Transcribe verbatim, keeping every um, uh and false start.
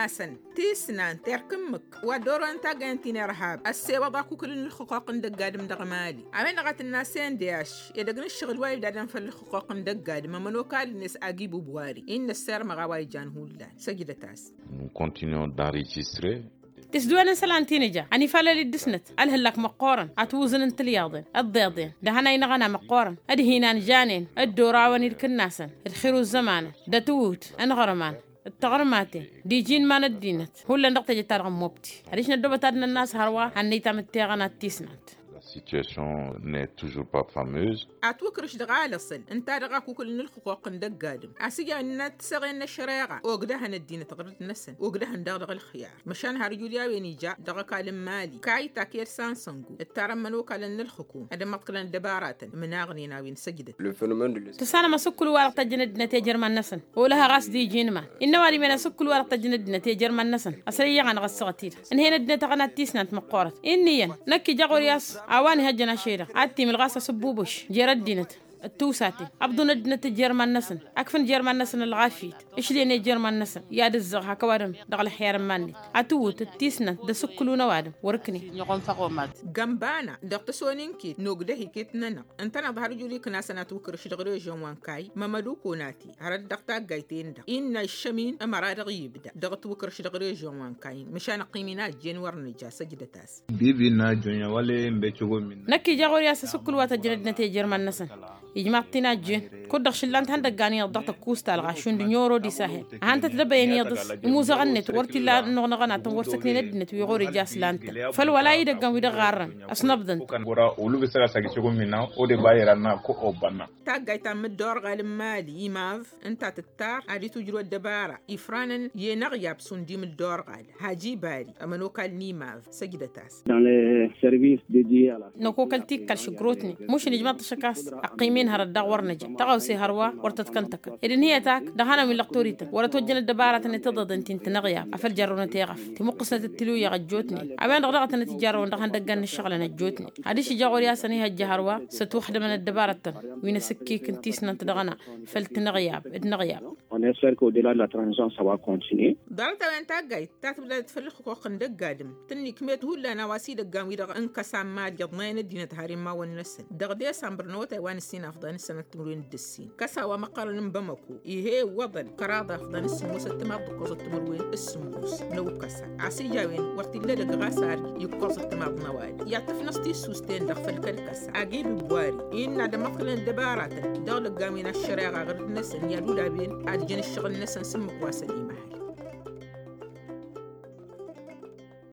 Asăn tisnant erk ǝmmǝk wa dd-orăwăn taggăyăn ti n-irhab ăssewăḍ akukǝl n-ǝlxǝqquq n-dăgg-adǝm dăɣ-mali a-wen-dăɣ a tǝnna s-n d-ašš edăgg n-ǝššăɣǝl wa ibdadăn făll-ǝlxǝqquq n-dăgg-adǝm ămănokal-net agi bubwari innă ăssirmăɣ a-wa ijan hullan. Săjdăt-as. Continuăm d-enregistrer. Tisdǝwen n-isălan ti nǝja ănifalăl-dd dăɣ-snăt ălhǝllak măqqoorăn ad-t-wǝẓǝn n-tilyaḍen d-iḍeḍen d-ehăn a inăɣăna măqqoorăn d-hinan janen d-orawăn-dd kǝnnasăn d-xir uzzămanăn d-atǝwǝwt n-iɣărman d-taɣrǝmaten d-iji n-iman ăddinăt hullan dăɣ-teje-ta-dăɣ n-mobti adiš năddoobăt ad-nănn'-as hărwa hannăy tamǝtteɣănat tisnant. La situation n'est toujours pas fameuse. Atwǝkrǝš dăɣ-alăṣăl ǝnta-dăɣ akukǝl n-ǝlxǝqquq n-dăgg-adǝm a-s ija ǝnnăn tiseɣen n-ăššăreɣa ogdăhăn ăddinăt ɣur-năsăn ogdăhăn daɣ dăɣ-ǝlxǝyar. Măšan har ijud i-a-wen ija dăɣ-ăkall n-mali kayy taked sansangu ǝttarăn imănokalăn n-ǝlxǝkum ad-ămmăḍkălăn ăddăbaratăn ǝmnaɣnen a-wen săjdăt. Tǝssanăm asǝkkǝl-wa-dăɣ tăjjăn ăddinăt i-ejăr iman-năsăn olăhăɣ a-s d-iji n-iman innă ăwadǝm-en asǝkkǝl-wa-dăɣ tăjjăn ăddinăt i-ejăr iman-năsăn ăsrăyyăɣ-anăɣ ăssaɣăt-i-dăɣ ǝnhăyăn ăddinăt aɣăna d-tisnant măqqoorăt. Inn'-iyyăn năkk ija ɣur-i a-s a-wa n-ihăjjăn ašăl-i-dăɣ ad-t-imǝlɣas asǝbbubǝš jer-ăddinăt d-tiwsaten ăbḍun ăddinăt jer-iman-năsăn akfǝn jer-iman-năsăn ălɣafyăt ǝšlen jer-iman-năsăn i-ad-ǝzzăɣ hak ăwadǝm dăɣ-ălxer n-iman-net. Atǝwwǝt d-tisnant d-asǝkkǝlu n-ăwadǝm wăr-ǝknen. Gănbana dăɣ-tăsoninkit n-ogdăh iket-nănăɣ ǝntăneḍ har ǝjud iknasăn atwǝkrǝš dăɣ-režyon wa n-kayy mămăduko n-ati hărăt dăɣ-taggayt-en-dăɣ innă ǝššămin ămăra dăɣ-ibda dăɣ-atwǝkrǝš dăɣ-režyon wa n-kayy măšan ăqqim-in a ăjjeen wăr nǝja săjdăt-as. Năkk ija ɣur-i a-s asǝkkǝl wa tăjjăn ăddinăt i-ejăr iman-năsăn ijmaḍ-t-in a ăjjeen kud-dăɣ šǝllan-t ihăndăggan iyyăḍ dăɣ-tăkkuust ta ălɣaš šund n-oro d-isahel ad-han-tăt-dăbăyăn iyyăḍ-s. Imuzăɣăn-net wăr t-illa ănnuɣnăɣăn ad-tăn-wăr-săknen ăddinăt wi ɣur-ija a-s lan-tăn făll-wăla idăggan wi dăɣ-ɣarrăn ăsnăbḍăn-t. Olu bǝssăl a-s agǝššăg omina ode ba iranna ko obănna. Taggayt ta n-imǝdda orɣal n-mali imav ǝnta tǝttar ad-itujrǝw ăddăbara ifranăn i-enăɣyab šund imǝdda orɣal haji bari ămănokal n-imav. Săjdăt-as. Năkokăl tikkăl šǝgrotnen mušǝn ijmaḍ-t ašăk a-s ăqqim-in hărăt daɣ wăr năja tăɣawse hărwa wăr tăt-kăn-tăkăn ed ǝnhǝyăt ak dăɣ-ihănan wi n-lăqtorităn wăr-ătwăjjăn ăddăbaratăn i-tiḍeḍen ti n-tinăɣyab a făl jarrăwnăt i-ɣăf timǝqqǝsnăt d-tiluyăɣ ăjjootnen a-wen-dăɣ daɣ a tănăt-ijarrăwăn dăɣ-ihăndăggan n-ǝššăɣǝlăn ăjjootnen. Adiš ija ɣur-i a-s ănihăjja hărwa s-ătwăxdămăn ăddăbaratăn wi n-asǝkkik n-tisnant dăɣ-ena făll-tinăɣyab d-inăɣyab. Ḍarăt a-wen taggayt ta tǝbdadăt făll-ǝxxuqq n-dăgg-adǝm tǝnnikmet hullan a-wa s-idăggan-wi-dăɣ n-kăsa n-mali iḍnayăn ăddinăt har immawăn-năsăn dăɣ-desămbăr n-awătay wa n-ǝssin afḍăn-săn d-timǝrwen d-ǝssin kăsa wa măqqărăn n-bamăko. Ih'-e iwwăḍăn kăraḍ afḍăn s-sǝmmosăt timaḍ d-ǝkkoẓăt timǝrwen s-sǝmmos n-ewǝkkăsa a-s ija a-wen wăr t-illa edăgg ɣas ar ikkăẓăt timaḍ n-ăwadǝm i-ad-tǝfnăẓ tissust-en-dăɣ făll-kăl-kăsa agib ibbwari innă ad-ămmăḍkălăn ăddăbaratăn dăɣ-lăggamen aššăreɣa ɣǝrǝd-năsăn i-ad-ulawen ad-jăn ǝššăɣǝl-năsăn s-ǝmmǝk wa s-ănimăhăl.